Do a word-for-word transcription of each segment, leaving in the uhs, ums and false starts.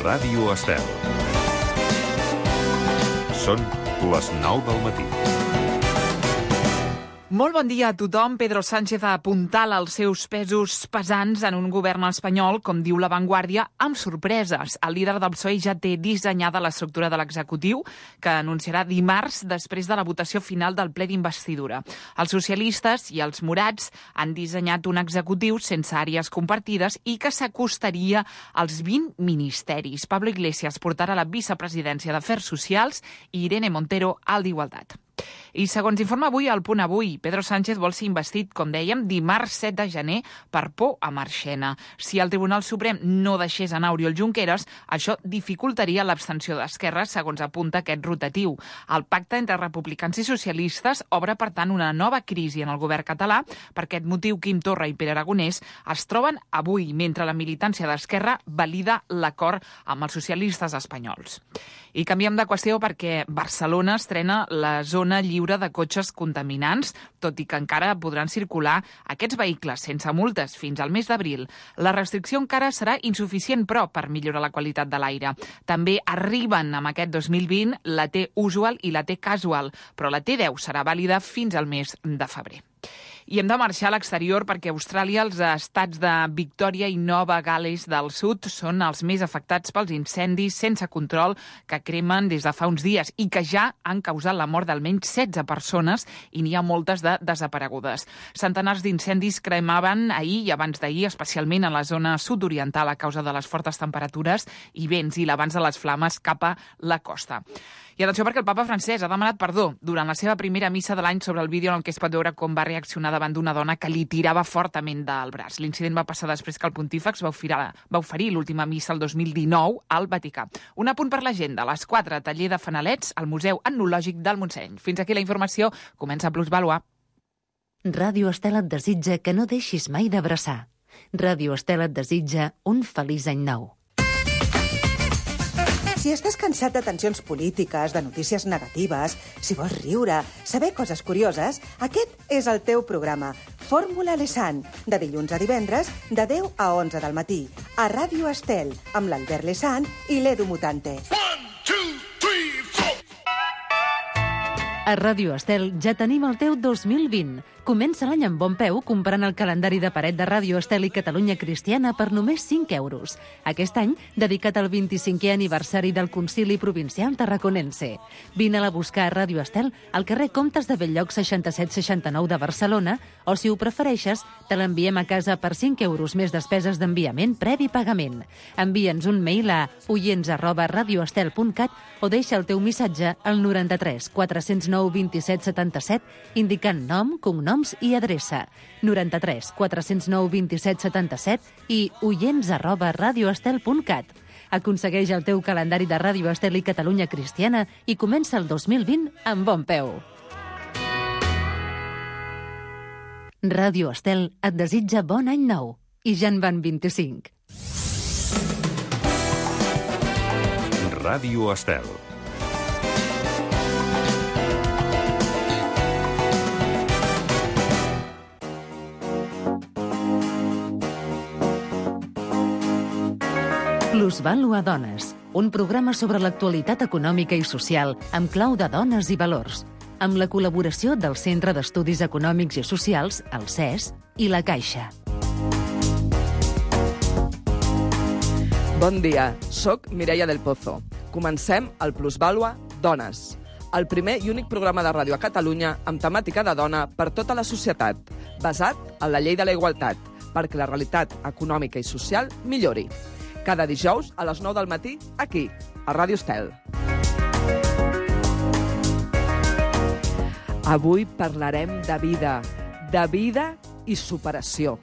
Ràdio Estel. Són les nou del matí. Molt bon dia a tothom. Pedro Sánchez apuntala els seus pesos pesants en un govern espanyol, com diu La Vanguardia, amb sorpreses. El líder del P S O E ja té dissenyada l'estructura de l'executiu, que anunciarà dimarts després de la votació final del ple d'investidura. Els socialistes i els morats han dissenyat un executiu sense àrees compartides i que s'acostaria als vint ministeris. Pablo Iglesias portarà la vicepresidència d'Afers Socials i Irene Montero al d'Igualtat. I segons informa avui el Punt Avui, Pedro Sánchez vol ser investit, com dèiem, dimarts set de gener per por a Marchena. Si el Tribunal Suprem no deixés anar Oriol Junqueras, això dificultaria l'abstenció d'Esquerra, segons apunta aquest rotatiu. El pacte entre republicans i socialistes obre, per tant, una nova crisi en el govern català. Per aquest motiu, Quim Torra i Pere Aragonès es troben avui, mentre la militància d'Esquerra valida l'acord amb els socialistes espanyols. I canviem de qüestió perquè Barcelona estrena la zona lliure de cotxes contaminants, tot i que encara podran circular aquests vehicles sense multes fins al mes d'abril. La restricció encara serà insuficient, però, per millorar la qualitat de l'aire. També arriben amb aquest dos mil vint la T-Usual i la T-Casual, però la T deu serà vàlida fins al mes de febrer. I hem de marxar a l'exterior perquè a Austràlia els estats de Victòria i Nova Gal·les del Sud són els més afectats pels incendis sense control que cremen des de fa uns dies i que ja han causat la mort d'almenys setze persones i n'hi ha moltes de desaparegudes. Centenars d'incendis cremaven ahir i abans d'ahir, especialment a la zona sud-oriental a causa de les fortes temperatures i vents i l'avanç de les flames cap a la costa. I atenció perquè el papa francès ha demanat perdó durant la seva primera missa de l'any sobre el vídeo en el que es pot veure com va reaccionar davant d'una dona que li tirava fortament del braç. L'incident va passar després que el pontífex va oferir, va oferir l'última missa el dos mil dinou al Vaticà. Un apunt per l'agenda. A les quatre, taller de fanalets al Museu Etnològic del Montseny. Fins aquí la informació. Comença Plusvàlua. Ràdio Estel et desitja que no deixis mai d'abraçar. Ràdio Estel et desitja un feliç any nou. Si estàs cansat de tensions polítiques, de notícies negatives, si vols riure, saber coses curioses, aquest és el teu programa. Fórmula Lesan, de dilluns a divendres, de deu a onze del matí, a Ràdio Estel, amb l'Albert Lesan i l'Edu Mutante. A Ràdio Estel ja tenim el teu dos mil vint. Comença l'any amb bon peu comprant el calendari de paret de Ràdio Estel i Catalunya Cristiana per només cinc euros. Aquest any, dedicat al vint-i-cinquè aniversari del Concili Provincial Tarraconense. Vine-la a buscar a Ràdio Estel al carrer Comtes de Belllloc seixanta-set seixanta-nou de Barcelona o, si ho prefereixes, te l'enviem a casa per cinc euros més despeses d'enviament previ pagament. Envia'ns un mail a oients arroba radioestel punt cat o deixa el teu missatge al noranta-tres quatre-cents nou vint-i-set setanta-set indicant nom, cognoms i adreça. noranta-tres quatre-cents nou vint-i-set setanta-set i oients arroba radioestel punt cat. Aconsegueix el teu calendari de Ràdio Estel i Catalunya Cristiana i comença el dos mil vint amb bon peu. Ràdio Estel et desitja bon any nou i ja en van vint-i-cinc. Ràdio Estel. Plusvàlua Dones, un programa sobre l'actualitat econòmica i social amb clau de dones i valors, amb la col·laboració del Centre d'Estudis Econòmics i Socials, el C E S, i la Caixa. Bon dia, soc Mireia del Pozo. Comencem el Plusvàlua Dones, el primer i únic programa de ràdio a Catalunya amb temàtica de dona per tota la societat, basat en la llei de la igualtat, perquè la realitat econòmica i social millori. Cada dijous a les nou del matí, aquí, a Ràdio Estel. Avui parlarem de vida, de vida i superació.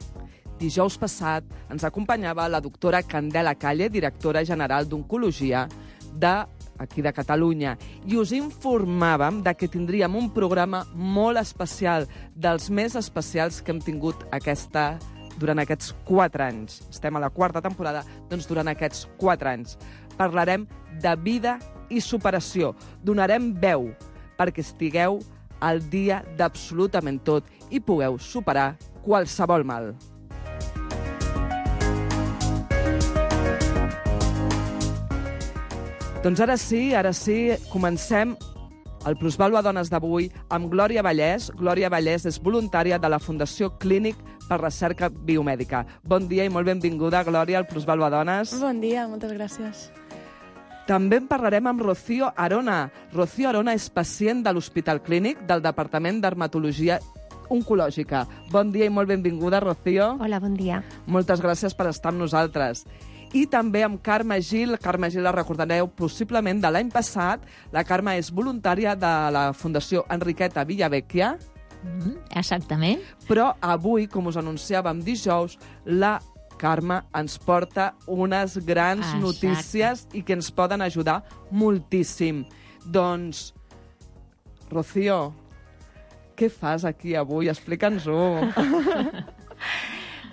Dijous passat ens acompanyava la doctora Candela Calle, directora general d'Oncologia d'aquí de Catalunya, i us informàvem de que tindríem un programa molt especial, dels més especials que hem tingut aquesta durant aquests quatre anys. Estem a la quarta temporada, doncs durant aquests quatre anys. Parlarem de vida i superació. Donarem veu perquè estigueu al dia d'absolutament tot i pugueu superar qualsevol mal. Doncs ara sí, ara sí, comencem el Plusvàlua Dones d'avui amb Glòria Vallès. Glòria Vallès és voluntària de la Fundació Clínic per Recerca Biomèdica. Bon dia i molt benvinguda, Glòria, al Plusvàlua Dones. Bon dia, moltes gràcies. També en parlarem amb Rocío Arona. Rocío Arona és pacient de l'Hospital Clínic del Departament d'Hermatologia Oncològica. Bon dia i molt benvinguda, Rocío. Hola, bon dia. Moltes gràcies per estar amb nosaltres. I també amb Carme Gil. Carme Gil la recordareu possiblement de l'any passat. La Carme és voluntària de la Fundació Enriqueta Villavecchia. Mm, exactament. Però avui, com us anunciàvem dijous, la Carme ens porta unes grans Exacte. notícies i que ens poden ajudar moltíssim. Doncs, Rocío, què fas aquí avui? Explica'ns-ho.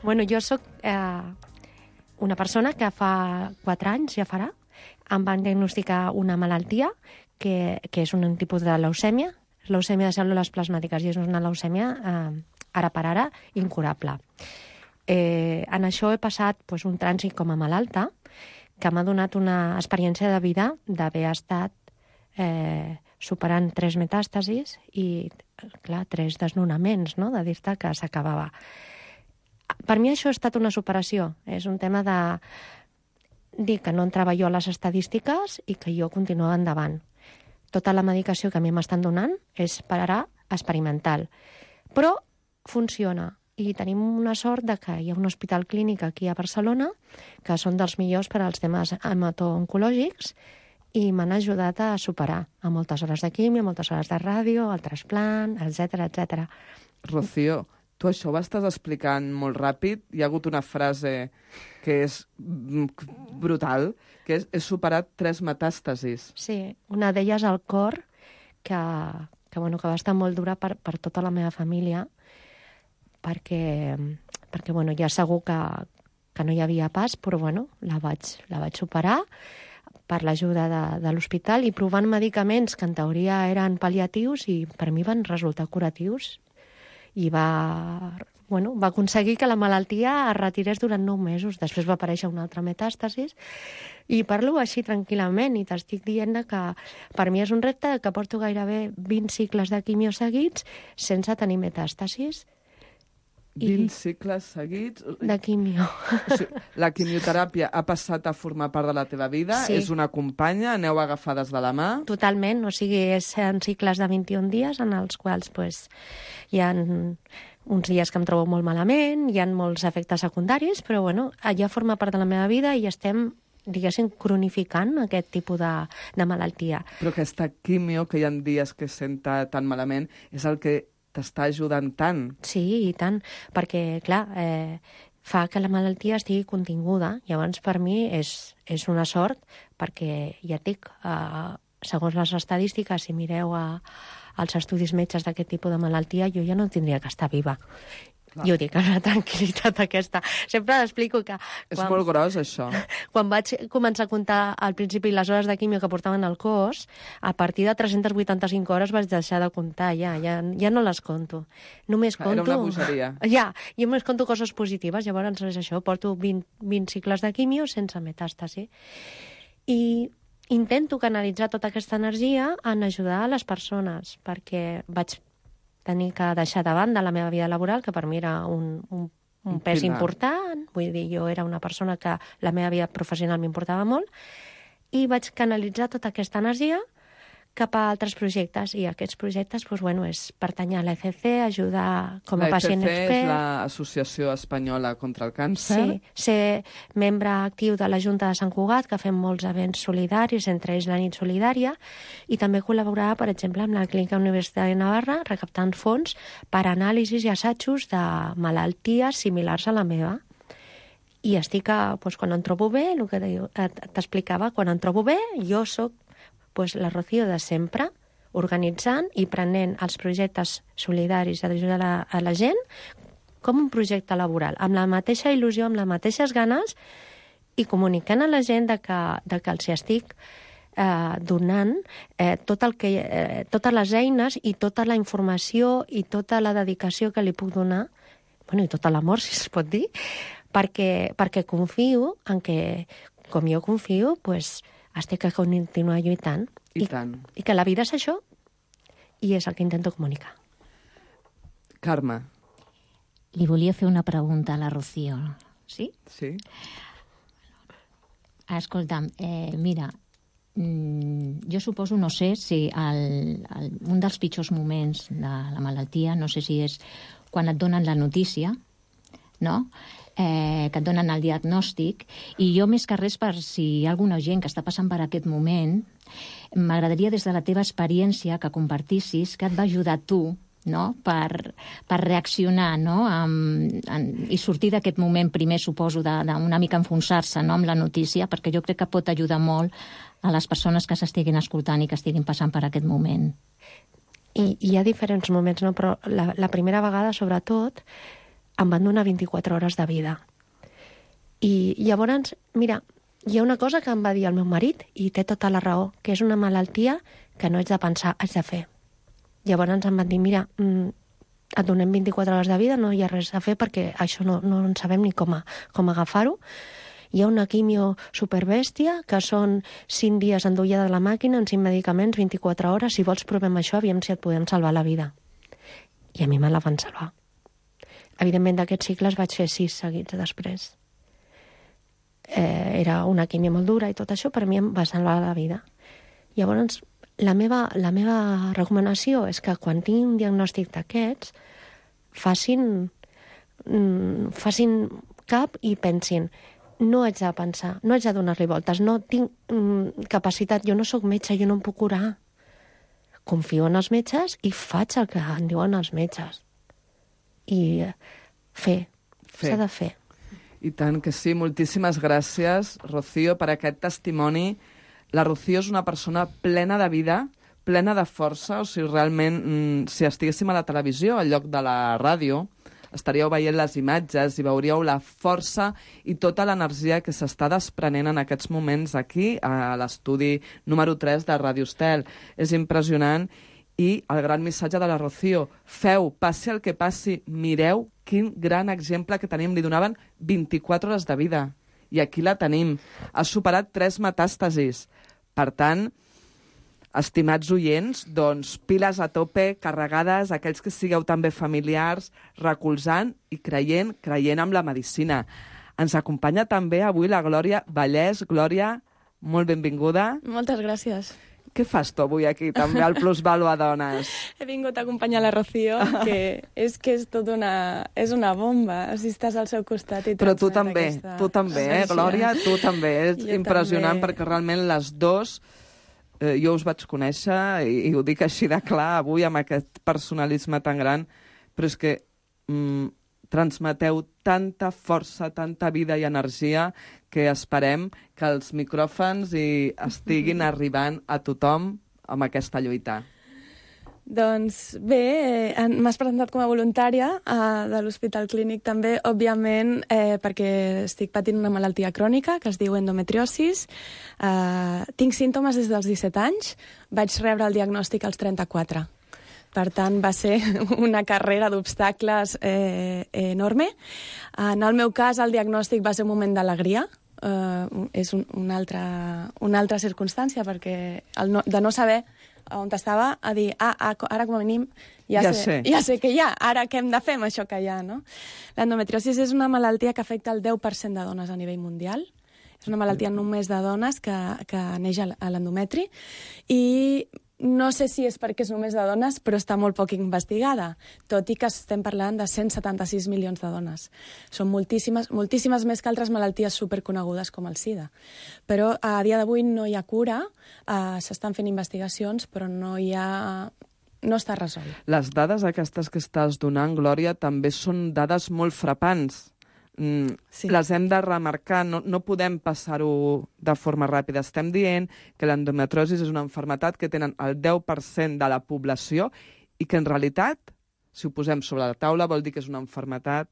Bueno, jo sóc eh, una persona que fa quatre anys, ja farà, em van diagnosticar una malaltia que, que és un tipus de leucèmia, leucèmia de cèl·lules plasmàtiques, i és una leucèmia eh, ara per ara incurable. Eh, en això he passat pues, un trànsit com a malalta que m'ha donat una experiència de vida d'haver estat eh, superant tres metàstasis i, clar, tres desnonaments, no?, de dir-te que s'acabava. Per mi això ha estat una superació. És un tema de dir que no entrava jo a les estadístiques i que jo continuava endavant. Tota la medicació que a mi m'estan donant és per ara experimental. Però funciona. I tenim una sort de que hi ha un hospital clínic aquí a Barcelona que són dels millors per als temes hemato-oncològics i m'han ajudat a superar a moltes hores de quimio, moltes hores de ràdio, el trasplant, etcètera, etcètera. Rocío, tu això ho estàs explicant molt ràpid. Hi ha hagut una frase que és brutal, que és he superat tres metàstasis. Sí, una d'elles al cor, que, que, bueno, que va estar molt dura per, per tota la meva família, perquè, perquè bueno, ja segur que, que no hi havia pas, però bueno, la vaig, la vaig superar per l'ajuda de, de l'hospital i provant medicaments que en teoria eren pal·liatius i per mi van resultar curatius. I va, bueno, va aconseguir que la malaltia es retirés durant nou mesos. Després va aparèixer una altra metàstasis i parlo així tranquil·lament i t'estic dient que per mi és un repte que porto gairebé vint cicles de quimio seguits sense tenir metàstasis. vint cicles seguits? De quimio. O sigui, la quimioteràpia ha passat a formar part de la teva vida? Sí. És una companya? Aneu agafades de la mà? Totalment, o sigui, és en cicles de vint-i-un dies en els quals pues, hi ha uns dies que em trobo molt malament, hi ha molts efectes secundaris, però bueno, ja forma part de la meva vida i estem, diguéssim, cronificant aquest tipus de, de malaltia. Però aquesta quimio, que hi ha dies que es senta tan malament, és el que t'està ajudant tant. Sí, i tant, perquè, clar, eh, fa que la malaltia estigui continguda. Llavors, per mi, és, és una sort, perquè, ja et dic, eh, segons les estadístiques, si mireu a, als estudis metges d'aquest tipus de malaltia, jo ja no tindria que estar viva. Clar. Jo dic, amb la tranquil·litat aquesta. Sempre explico que... És molt gros, això. Quan vaig començar a comptar al principi les hores de quimio que portaven al cos, a partir de tres-cents vuitanta-cinc hores vaig deixar de comptar, ja, ja, ja no les conto. Només conto... Era una bogeria. Ja, jo només conto coses positives, llavors és això, porto vint, vint cicles de quimio sense metàstasi. I intento canalitzar tota aquesta energia en ajudar a les persones, perquè vaig tenir que deixar de banda la meva vida laboral, que per mi era un, un, un pes important. Vull dir, jo era una persona que la meva vida professional m'importava molt, i vaig canalitzar tota aquesta energia cap a altres projectes, i aquests projectes doncs, bueno, és pertany a l'E C C, ajudar com a pacient expert. L'E C C és l'Associació Espanyola contra el Càncer. Sí, ser membre actiu de la Junta de Sant Cugat, que fem molts events solidaris, entre ells la nit solidària, i també col·laborar, per exemple, amb la Clínica Universitària de Navarra, recaptant fons per anàlisis i assajos de malalties similars a la meva. I estic, a, doncs, quan em trobo bé, el que t'explicava, quan em trobo bé, jo sóc pues, la Rocío de sempre, organitzant i prenent els projectes solidaris d'ajudar a, a la gent com un projecte laboral, amb la mateixa il·lusió, amb les mateixes ganes, i comunicant a la gent de que, de que els estic eh, donant eh, tot el que, eh, totes les eines i tota la informació i tota la dedicació que li puc donar, bueno, i tot l'amor, si es pot dir, perquè, perquè confio en que, com jo confio, pues, estic que continuar lluitant. I tant. I que la vida és això, i és el que intento comunicar. Carme. Li volia fer una pregunta a la Rocío. Sí? Sí. Escolta'm, eh, mira, mm, jo suposo, no sé si el, el, un dels pitjors moments de la malaltia, no sé si és quan et donen la notícia, no?, eh, que et donen el diagnòstic, i jo més que res, per si hi ha alguna gent que està passant per aquest moment, m'agradaria des de la teva experiència que compartissis què et va ajudar a tu, no?, per, per reaccionar, no?, amb, en, i sortir d'aquest moment primer, suposo, d'una mica enfonsar-se, no?, amb la notícia, perquè jo crec que pot ajudar molt a les persones que s'estiguin escoltant i que estiguin passant per aquest moment. I hi ha diferents moments, no?, però la, la primera vegada, sobretot, em van donar vint-i-quatre hores de vida. I llavors, mira, hi ha una cosa que em va dir el meu marit, i té tota la raó, que és una malaltia que no haig de pensar, haig de fer. Llavors em van dir, mira, et donem vint-i-quatre hores de vida, no hi ha res a fer perquè això no, no en sabem ni com, a, com agafar-ho. Hi ha una quimio superbèstia, que són cinc dies endullada de la màquina, en cinc medicaments, vint-i-quatre hores, si vols provem això, aviam si et podem salvar la vida. I a mi me la van salvar. Evidentment, d'aquests cicles vaig fer sis seguits després. Eh, era una quimio molt dura i tot això, per mi em va salvar la vida. Llavors, la meva, la meva recomanació és que quan tinguin un diagnòstic d'aquests, facin, mm, facin cap i pensin, no haig de pensar, no haig de donar-li voltes, no tinc mm, capacitat, jo no sóc metge, jo no em puc curar. Confio en els metges i faig el que em diuen els metges. I fer, s'ha de fer. I tant que sí, moltíssimes gràcies, Rocío, per aquest testimoni. La Rocío és una persona plena de vida, plena de força, o sigui, realment, mm, si estiguéssim a la televisió, al lloc de la ràdio, estaríeu veient les imatges i veuríeu la força i tota l'energia que s'està desprenent en aquests moments aquí, a l'estudi número tres de Ràdio Estel. És impressionant. I el gran missatge de la Rocío, feu, passi el que passi, mireu quin gran exemple que tenim. Li donaven vint-i-quatre hores de vida. I aquí la tenim. Ha superat tres metàstasis. Per tant, estimats oients, doncs, piles a tope, carregades, aquells que sigueu també familiars, recolzant i creient, creient en la medicina. Ens acompanya també avui la Glòria Vallès. Glòria, molt benvinguda. Moltes gràcies. Què fas tu avui aquí, també, al Plusvalo a Dones? He vingut a acompanyar la Rocío, que és que és tot una, és una bomba, si estàs al seu costat i Però tu també, aquesta... tu també, eh, Glòria? Tu també. És jo impressionant també. Perquè realment les dos, eh, jo us vaig conèixer, i, i ho dic així de clar, avui amb aquest personalisme tan gran, però és que mm, transmeteu tanta força, tanta vida i energia que esperem que els micròfons hi estiguin arribant a tothom amb aquesta lluita. Doncs bé, eh, m'has presentat com a voluntària eh, de l'Hospital Clínic també, òbviament, eh, perquè estic patint una malaltia crònica que es diu endometriosis. Eh, tinc símptomes des dels disset anys, vaig rebre el diagnòstic als trenta-quatre. Per tant, va ser una carrera d'obstacles eh, enorme. En el meu cas, el diagnòstic va ser un moment d'alegria. Uh, és un, una, altra, una altra circumstància, perquè el no, de no saber on estava, a dir, ah, ah, ara com a mínim ja, ja, sé, sé. ja sé què hi ha, ara què hem de fer amb això que hi ha, no? L'endometriosis és una malaltia que afecta el deu per cent de dones a nivell mundial. És una malaltia només de dones que, que neix a l'endometri, i no sé si és perquè és només de dones, però està molt poc investigada, tot i que estem parlant de cent setanta-sis milions de dones. Són moltíssimes, moltíssimes més que altres malalties superconegudes com el SIDA. Però a dia d'avui no hi ha cura, eh, s'estan fent investigacions, però no hi ha... no està resolt. Les dades aquestes que estàs donant, Glòria, també són dades molt frapants. Mm, sí. Les hem de remarcar, no, no podem passar-ho de forma ràpida. Estem dient que l'endometriosi és una malaltia que tenen el deu per cent de la població i que en realitat, si ho posem sobre la taula, vol dir que és una malaltia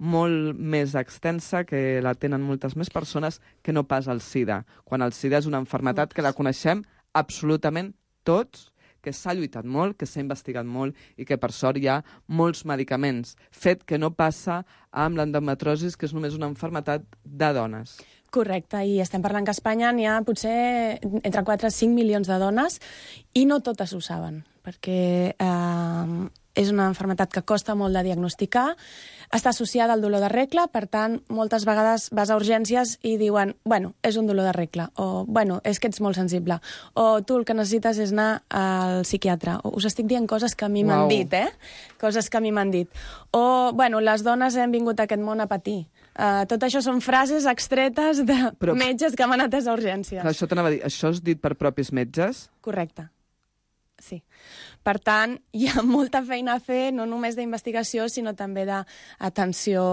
molt més extensa, que la tenen moltes més persones que no pas el SIDA, quan el SIDA és una malaltia que la coneixem absolutament tots, que s'ha lluitat molt, que s'ha investigat molt i que, per sort, hi ha molts medicaments. Fet que no passa amb l'endometriosi, que és només una malaltia de dones. Correcte, i estem parlant que a Espanya n'hi ha potser entre quatre i cinc milions de dones i no totes ho saben, perquè eh, és una malaltia que costa molt de diagnosticar, està associada al dolor de regla, per tant, moltes vegades vas a urgències i diuen, bueno, és un dolor de regla, o, bueno, és que ets molt sensible, o tu el que necessites és anar al psiquiatre. O, us estic dient coses que a mi m'han dit, eh? Coses que a mi m'han dit. O, bueno, les dones hem vingut a aquest món a patir. Uh, tot això són frases extretes de Però... metges que m'han atès a urgències. Clar, això t'anava a dir, això és dit per propis metges? Correcte. Sí. Per tant, hi ha molta feina a fer, no només d'investigació, sinó també d'atenció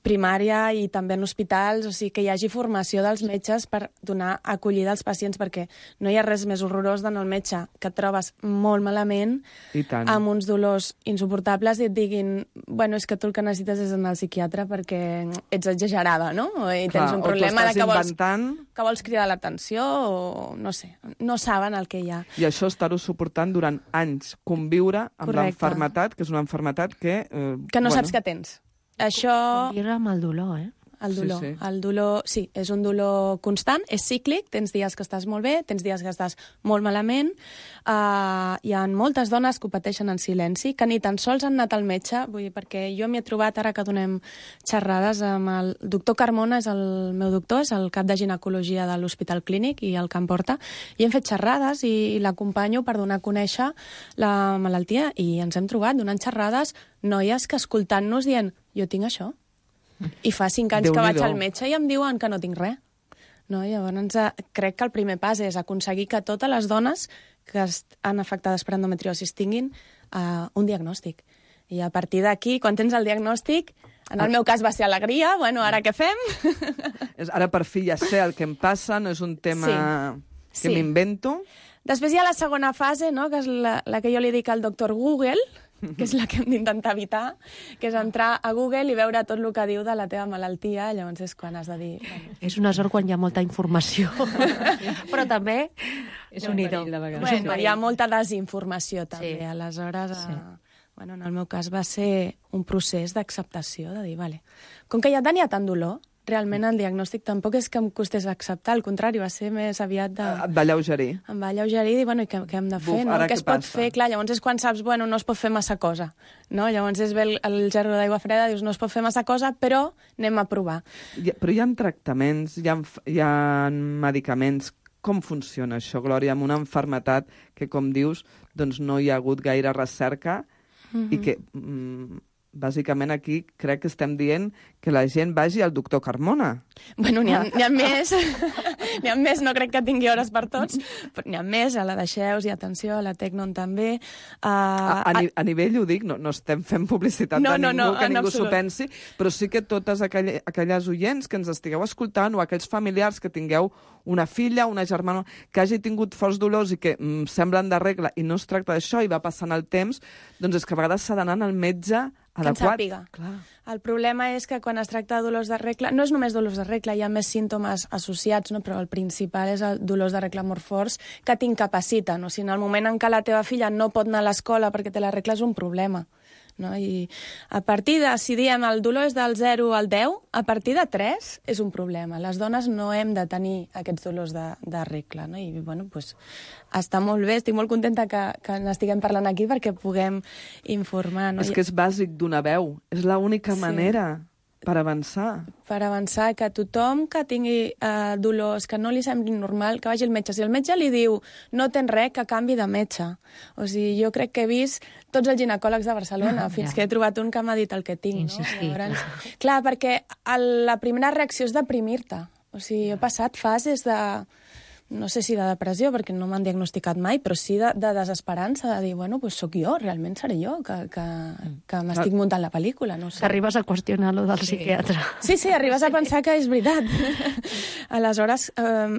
primària i també en hospitals, o sigui, que hi hagi formació dels metges per donar acollida als pacients, perquè no hi ha res més horrorós d'anar al metge que et trobes molt malament, amb uns dolors insuportables, i et diguin, bueno, és que tu el que necessites és anar al psiquiatre perquè ets exagerada, no? I tens Clar, un problema de que vols, inventant... que vols cridar l'atenció, o no sé, no saben el que hi ha. I això estar-ho suportant durant anys, conviure amb l'enfermetat, que és una enfermetat que... Eh, que no bueno... saps què tens. Això... Conviure amb el dolor, eh? El dolor. Sí, sí. El dolor, sí, és un dolor constant, és cíclic, tens dies que estàs molt bé, tens dies que estàs molt malament. Uh, hi ha moltes dones que ho pateixen en silenci, que ni tan sols han anat al metge, vull dir, perquè jo m'hi he trobat ara que donem xerrades amb el doctor Carmona, és el meu doctor, és el cap de ginecologia de l'Hospital Clínic i el que em porta, i hem fet xerrades i, i l'acompanyo per donar a conèixer la malaltia, i ens hem trobat donant xerrades noies que escoltant-nos dient, jo tinc això. I fa cinc anys que vaig al metge i em diuen que no tinc res. No? Llavors, crec que el primer pas és aconseguir que totes les dones que estan afectades per endometriosis tinguin uh, un diagnòstic. I a partir d'aquí, quan tens el diagnòstic, en el meu cas va ser alegria, bueno, ara què fem? Ara per fi ja sé el que em passa, no és un tema sí. que sí. m'invento. Després hi ha la segona fase, no? Que és la, la que jo li dic al doctor Google, que és la que hem d'intentar evitar, que és entrar a Google i veure tot el que diu de la teva malaltia, llavors és quan has de dir... Bueno. És una sort quan hi ha molta informació, però també és un idò. Bueno, hi ha molta desinformació també, sí. Aleshores... Sí. Uh, bueno, en el meu cas va ser un procés d'acceptació, de dir, vale, com que ja tenia tant dolor, realment el diagnòstic tampoc és que em costés acceptar, al contrari, va ser més aviat de... Et va alleugerir. Em va alleugerir i dir, bueno, i què, què hem de fer, Buf, no? Què es pot passa? Fer? Clar, llavors és quan saps, bueno, no es pot fer massa cosa, no? Llavors és bé el, el gerro d'aigua freda, dius, no es pot fer massa cosa, però anem a provar. Hi ha, però hi ha tractaments, hi ha, hi ha medicaments. Com funciona això, Glòria, amb una malaltia que, com dius, doncs no hi ha hagut gaire recerca mm-hmm. i que... Mm, bàsicament aquí crec que estem dient que la gent vagi al doctor Carmona. Bueno, n'hi ha, n'hi ha més, n'hi ha més, no crec que tingui hores per tots, però n'hi ha més, a la de Xeus i atenció, a la Tecnon també. Uh, a, a, a nivell, ho dic, no, no estem fent publicitat no, de ningú, no, no, que ningú s'ho pensi, però sí que totes aquelles, aquelles oients que ens estigueu escoltant o aquells familiars que tingueu una filla, una germana, que hagi tingut forts dolors i que mm, semblen de regla i no es tracta d'això i va passant el temps, doncs és que a vegades s'ha d'anar al metge adequat. Clar. El problema és que quan es tracta de dolors de regla, no és només dolors de regla, hi ha més símptomes associats, no? Però el principal és el dolors de regla molt forts que t'incapaciten. O sigui, en el moment en què la teva filla no pot anar a l'escola perquè té la regla és un problema. No? I a partir de, si diem el dolor és del zero al deu, a partir de tres és un problema. Les dones no hem de tenir aquests dolors de, de regla. No? I bueno, pues, està molt bé, estic molt contenta que, que n'estiguem parlant aquí perquè puguem informar. No? És que és bàsic donar veu, és l'única sí. manera per avançar. Per avançar, que tothom que tingui eh, dolors, que no li sembli normal, que vagi al metge. Si el metge li diu no tens res, que canvi de metge. O sigui, jo crec que he vist tots els ginecòlegs de Barcelona, ah, fins ja. que he trobat un que m'ha dit el que tinc. Insistir, no? Llavors, clar, perquè el, la primera reacció és deprimir-te. O sigui, he passat fases de... no sé si de depressió, perquè no m'han diagnosticat mai, però sí de, de desesperança, de dir, bueno, pues sóc jo, realment seré jo, que, que, que m'estic muntant la pel·lícula, no sé. Arribes a qüestionar lo del sí. psiquiatre. Sí, sí, arribes a pensar que és veritat. Aleshores, eh,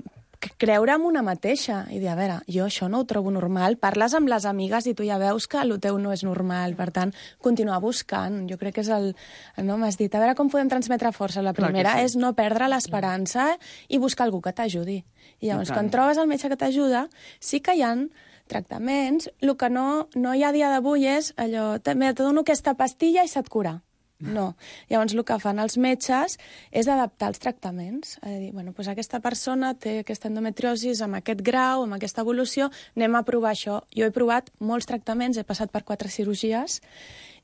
creure en una mateixa i dir, a veure, jo això no ho trobo normal, parles amb les amigues i tu ja veus que el teu no és normal, per tant, continuar buscant. Jo crec que és el... No, m'has dit, a veure com podem transmetre força. La primera sí. és no perdre l'esperança i buscar algú que t'ajudi. I llavors, quan trobes el metge que t'ajuda, sí que hi ha tractaments. El que no, no hi ha a dia d'avui és allò, te dono aquesta pastilla i se't cura. No. Llavors, el que fan els metges és adaptar els tractaments. És a dir, bueno, doncs aquesta persona té aquesta endometriosis amb aquest grau, amb aquesta evolució, anem a provar això. Jo he provat molts tractaments, he passat per quatre cirurgies,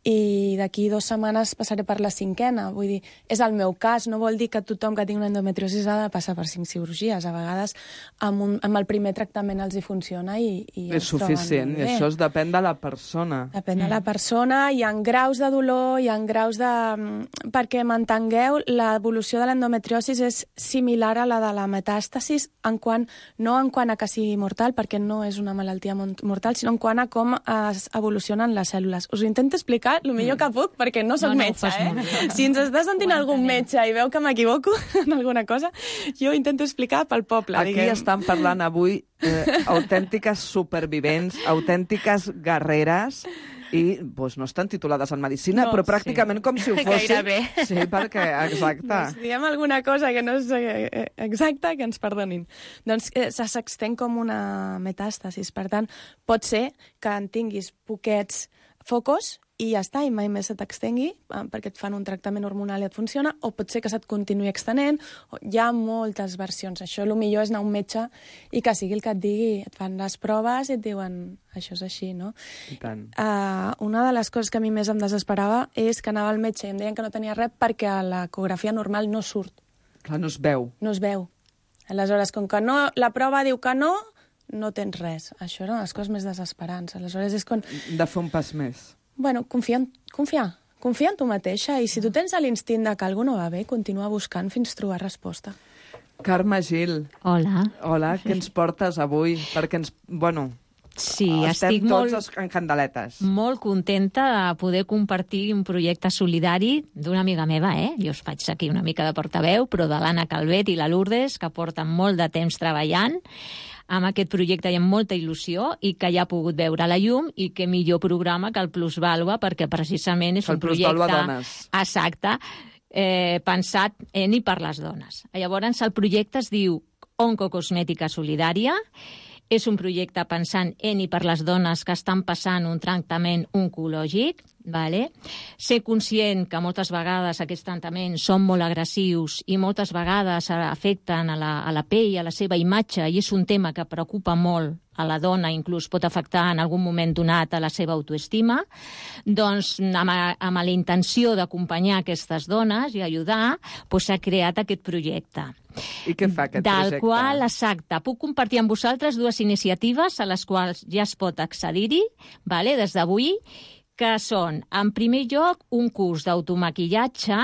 i d'aquí dues setmanes passaré per la cinquena. Vull dir, és el meu cas, no vol dir que tothom que tingui una endometriosis ha de passar per cinc cirurgies. A vegades amb, un, amb el primer tractament els hi funciona i, i és suficient, i això es depèn de la persona. Depèn de la persona, hi ha graus de dolor, hi ha graus de... Perquè m'entengueu, l'evolució de l'endometriosis és similar a la de la metàstasis, en quant, no en quant a que sigui mortal, perquè no és una malaltia mortal, sinó en quant a com es evolucionen les cèl·lules. Us ho intento explicar el millor que puc, perquè no soc no, no, metge, eh? Si ens està sentint algun metge i veu que m'equivoco en alguna cosa, jo intento explicar pel poble. Aquí diguem. estan parlant avui eh, autèntiques supervivents, autèntiques guerreres, i doncs, no estan titulades en medicina, No, però pràcticament sí. com si ho fossin. Gairebé. Sí, perquè, exacte. Doncs diguem alguna cosa que no és eh, exacta, que ens perdonin. Doncs eh, s'extén com una metàstasis. Per tant, pot ser que en tinguis poquets focos i ja està, i mai més se t'extengui, perquè et fan un tractament hormonal i et funciona, o pot ser que se't continuï extenent, o hi ha moltes versions. Això, el millor és anar a un metge i que sigui el que et digui, et fan les proves i et diuen, això és així, no? I tant. Uh, una de les coses que a mi més em desesperava és que anava al metge i em deien que no tenia res perquè a l'ecografia normal no surt. Clar, no es veu. No es veu. Aleshores, com que no, la prova diu que no, no tens res. Això eren les coses més desesperants. Aleshores és quan... De fer un pas més. Bueno, confia en, confiar. Confia en tu mateixa i si tu tens l'instint de que alguna no va bé, continua buscant fins trobar resposta. Carme Gil. Hola. Hola, què ens portes avui? Perquè ens... Bueno, sí, estem estic tots molt, en candeletes. molt contenta de poder compartir un projecte solidari d'una amiga meva, eh? Jo us faig aquí una mica de portaveu, però de l'Anna Calvet i la Lourdes, que porten molt de temps treballant amb aquest projecte i amb molta il·lusió i que ja ha pogut veure la llum i que millor programa que el Plusvàlua perquè precisament és el un projecte... Plusvàlua Dones. Exacte, eh, pensat en i per les dones. Llavors el projecte es diu Oncocosmètica Solidària. És un projecte pensant en i per les dones que estan passant un tractament oncològic. Vale? Ser conscient que moltes vegades aquests tractaments són molt agressius i moltes vegades afecten a la, a la pell, a la seva imatge, i és un tema que preocupa molt a la dona, inclús pot afectar en algun moment donat a la seva autoestima, doncs amb, amb la intenció d'acompanyar aquestes dones i ajudar, doncs s'ha creat aquest projecte. I què fa aquest del projecte? Del qual, exacte, puc compartir amb vosaltres dues iniciatives a les quals ja es pot accedir-hi, vale, des d'avui, que són, en primer lloc, un curs d'automaquillatge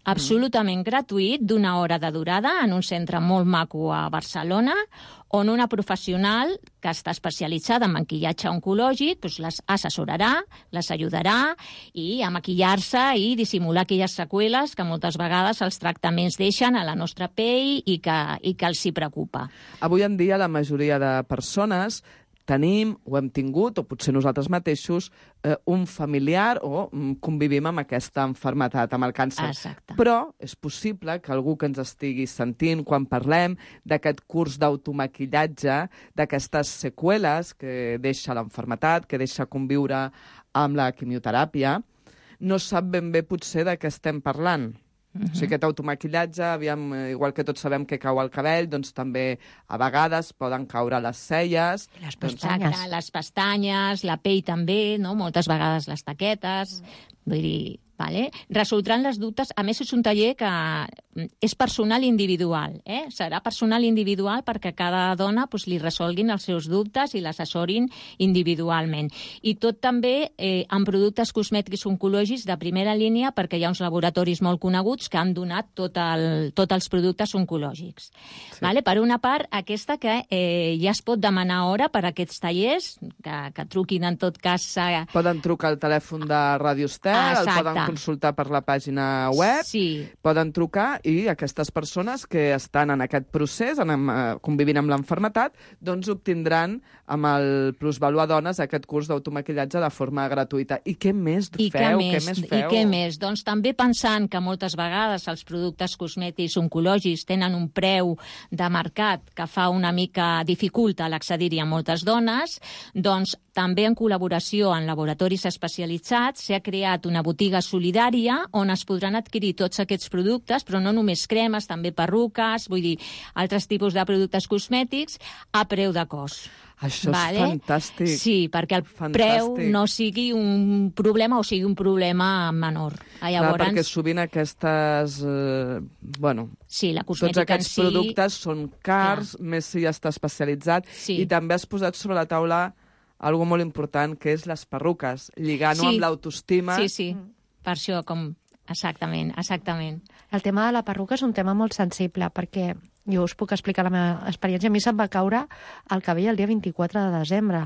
absolutament gratuït d'una hora de durada en un centre molt maco a Barcelona, on una professional que està especialitzada en maquillatge oncològic doncs les assessorarà, les ajudarà i a maquillar-se i dissimular aquelles seqüeles que moltes vegades els tractaments deixen a la nostra pell i que, i que els hi preocupa. Avui en dia la majoria de persones tenim, o hem tingut, o potser nosaltres mateixos, eh, un familiar o mm, convivim amb aquesta malaltia, amb el càncer. Exacte. Però és possible que algú que ens estigui sentint quan parlem d'aquest curs d'automaquillatge, d'aquestes seqüeles que deixa la malaltia, que deixa conviure amb la quimioteràpia, no sap ben bé potser de què estem parlant. Uh-huh. O sigui, aquest automaquillatge, aviam, igual que tots sabem que cau el cabell, doncs també a vegades poden caure les celles. Les doncs... pestanyes. Les pestanyes, la pell també, no? Moltes vegades les taquetes. Vull dir, vale? Resoldran les dubtes. A més, és un taller que és personal individual. Eh? Serà personal individual perquè cada dona pues, li resolguin els seus dubtes i l'assessorin individualment. I tot també eh, amb productes cosmètics oncològics de primera línia perquè hi ha uns laboratoris molt coneguts que han donat tot el, tots els productes oncològics. Sí. Vale? Per una part, aquesta que eh, ja es pot demanar hora per a aquests tallers, que, que truquin en tot cas... Eh... Poden trucar al telèfon de Ràdio Estel, el poden consultar per la pàgina web, sí. Poden trucar i aquestes persones que estan en aquest procés, en, en, convivint amb l'enfermetat, doncs obtindran amb el Plusvalua Dones aquest curs d'automaquillatge de forma gratuïta. I què més I feu? Què més? Què més feu? I què més? Doncs també pensant que moltes vegades els productes cosmètics oncològics tenen un preu de mercat que fa una mica dificulta l'accedir-hi a moltes dones, doncs també en col·laboració amb laboratoris especialitzats s'ha creat una botiga solidària on es podran adquirir tots aquests productes, però no només cremes, també perruques, vull dir, altres tipus de productes cosmètics a preu de cost. Això és vale? fantàstic. Sí, perquè el Fantàstic. preu no sigui un problema o sigui un problema menor. Llavors, Clar, perquè sovint aquestes... Eh, bueno, sí, la tots cosmètica aquests en si... productes són cars, Clar. més si ja està especialitzat, Sí. i també has posat sobre la taula algo molt important, que és les perruques, lligant-ho Sí. amb l'autoestima. Sí, sí, per això com... Exactament, exactament. El tema de la perruca és un tema molt sensible, perquè jo us puc explicar la meva experiència. A mi se'm va caure el cabell el dia vint-i-quatre de desembre.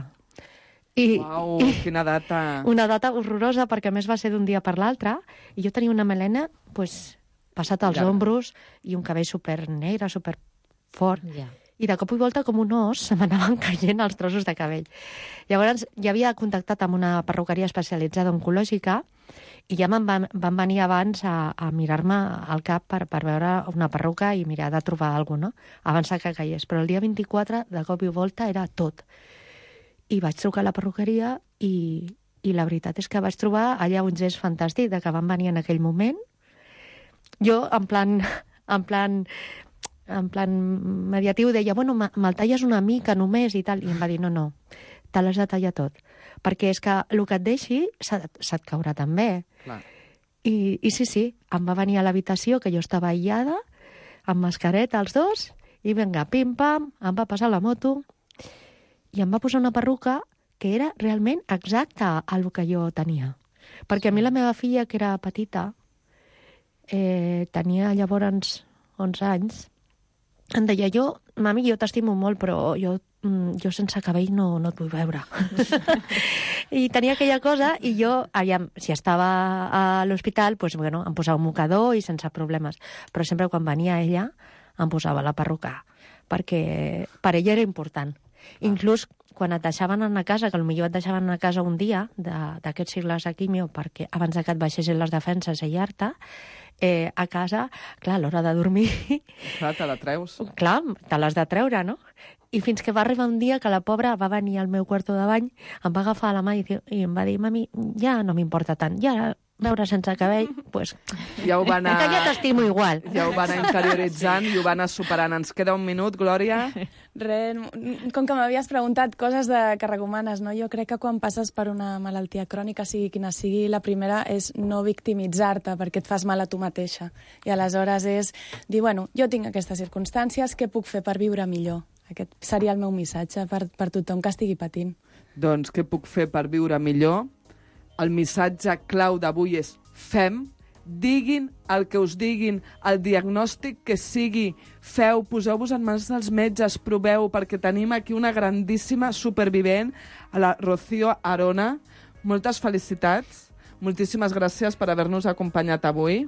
I, Uau, i quina data! una data horrorosa, perquè a més va ser d'un dia per l'altre, i jo tenia una melena pues, passat als Llarga. ombros i un cabell super negre, super fort. Ja. I de cop i volta, com un os, se m'anaven caient els trossos de cabell. Llavors, ja havia contactat amb una perruqueria especialitzada oncològica i ja me'n van, van venir abans a, a mirar-me al cap per, per veure una perruca i mirar de trobar alguna cosa, no? Abans que caigués. Però el dia vint-i-quatre, de cop i volta, era tot. I vaig trucar a la perruqueria i, i la veritat és que vaig trobar allà un gest fantàstic de que van venir en aquell moment. Jo, en plan... En plan en plan mediatiu, deia, bueno, me'l talles una mica només i tal, i em va dir, no, no, te l'has de tallar tot, perquè és que el que et deixi se't, se't caurà també. Clar. I, I sí, sí, em va venir a l'habitació, que jo estava aïllada, amb mascareta els dos, i vinga, pim-pam, em va passar la moto, i em va posar una perruca que era realment exacta al que jo tenia. Perquè a mi la meva filla, que era petita, eh, tenia llavors onze anys, em deia, jo, mami, jo t'estimo molt, però jo, jo sense cabell no, no et vull veure. I tenia aquella cosa, i jo, aviam, si estava a l'hospital, pues, bueno, em posava un mocador i sense problemes. Però sempre quan venia ella, em posava la perruca, perquè per ella era important. Inclús quan et deixaven anar a casa, que potser et deixaven anar a casa un dia d'aquests cicles de quimio, perquè abans que et baixessin les defenses a aïllar-te, eh, a casa, clar, a l'hora de dormir... Clar, te la treus. Clar, te l'has de treure, no? I fins que va arribar un dia que la pobra va venir al meu quarto de bany, em va agafar la mà i, i em va dir, mami, ja no m'importa tant, ja veure sense cabell, pues... Ja ho va anar... Que ja t'estimo igual. Ja ho va anar interioritzant i ho va anar superant. Ens queda un minut, Glòria. Res, com que m'havies preguntat coses de, que recomanes, no? Jo crec que quan passes per una malaltia crònica, sigui quina sigui, la primera és no victimitzar-te perquè et fas mal a tu mateixa. I aleshores és dir, bueno, jo tinc aquestes circumstàncies, què puc fer per viure millor? Aquest seria el meu missatge per, per tothom que estigui patint. Doncs què puc fer per viure millor? El missatge clau d'avui és fem, diguin el que us diguin, el diagnòstic que sigui, feu, poseu-vos en mans dels metges, proveu, perquè tenim aquí una grandíssima supervivent, a la Rocío Arona. Moltes felicitats, moltíssimes gràcies per haver-nos acompanyat avui.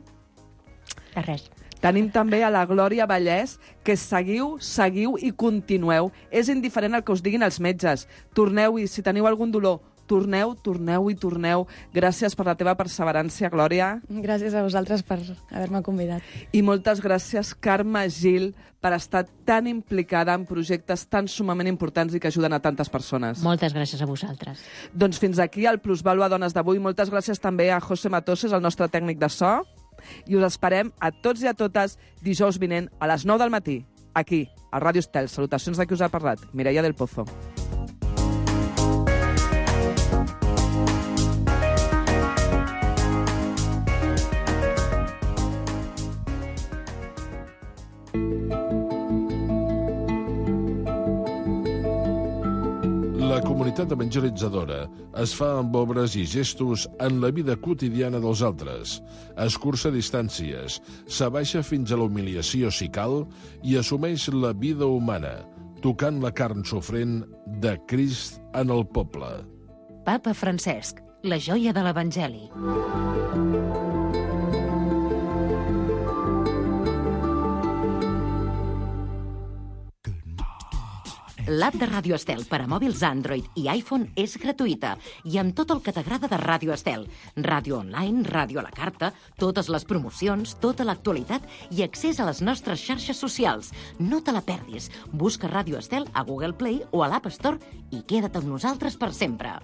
De res. Tenim també a la Glòria Vallès, que seguiu, seguiu i continueu. És indiferent el que us diguin els metges. Torneu-hi, si teniu algun dolor, torneu, torneu i torneu. Gràcies per la teva perseverància, Glòria. Gràcies a vosaltres per haver-me convidat. I moltes gràcies, Carme Gil, per estar tan implicada en projectes tan sumament importants i que ajuden a tantes persones. Moltes gràcies a vosaltres. Doncs fins aquí el Plusvalua Dones d'avui. Moltes gràcies també a José Matoses, el nostre tècnic de so. I us esperem a tots i a totes dijous vinent a les nou del matí, aquí, a Ràdio Estel. Salutacions de qui us ha parlat, Mireia del Pozo. La comunitat evangelitzadora es fa amb obres i gestos en la vida quotidiana dels altres, escurça distàncies, s'abaixa fins a la humiliació si cal i assumeix la vida humana, tocant la carn sofrent de Crist en el poble. Papa Francesc, la joia de l'Evangeli. L'app de Ràdio Estel per a mòbils Android i iPhone és gratuïta i amb tot el que t'agrada de Ràdio Estel. Ràdio online, ràdio a la carta, totes les promocions, tota l'actualitat i accés a les nostres xarxes socials. No te la perdis. Busca Ràdio Estel a Google Play o a l'App Store i queda't amb nosaltres per sempre.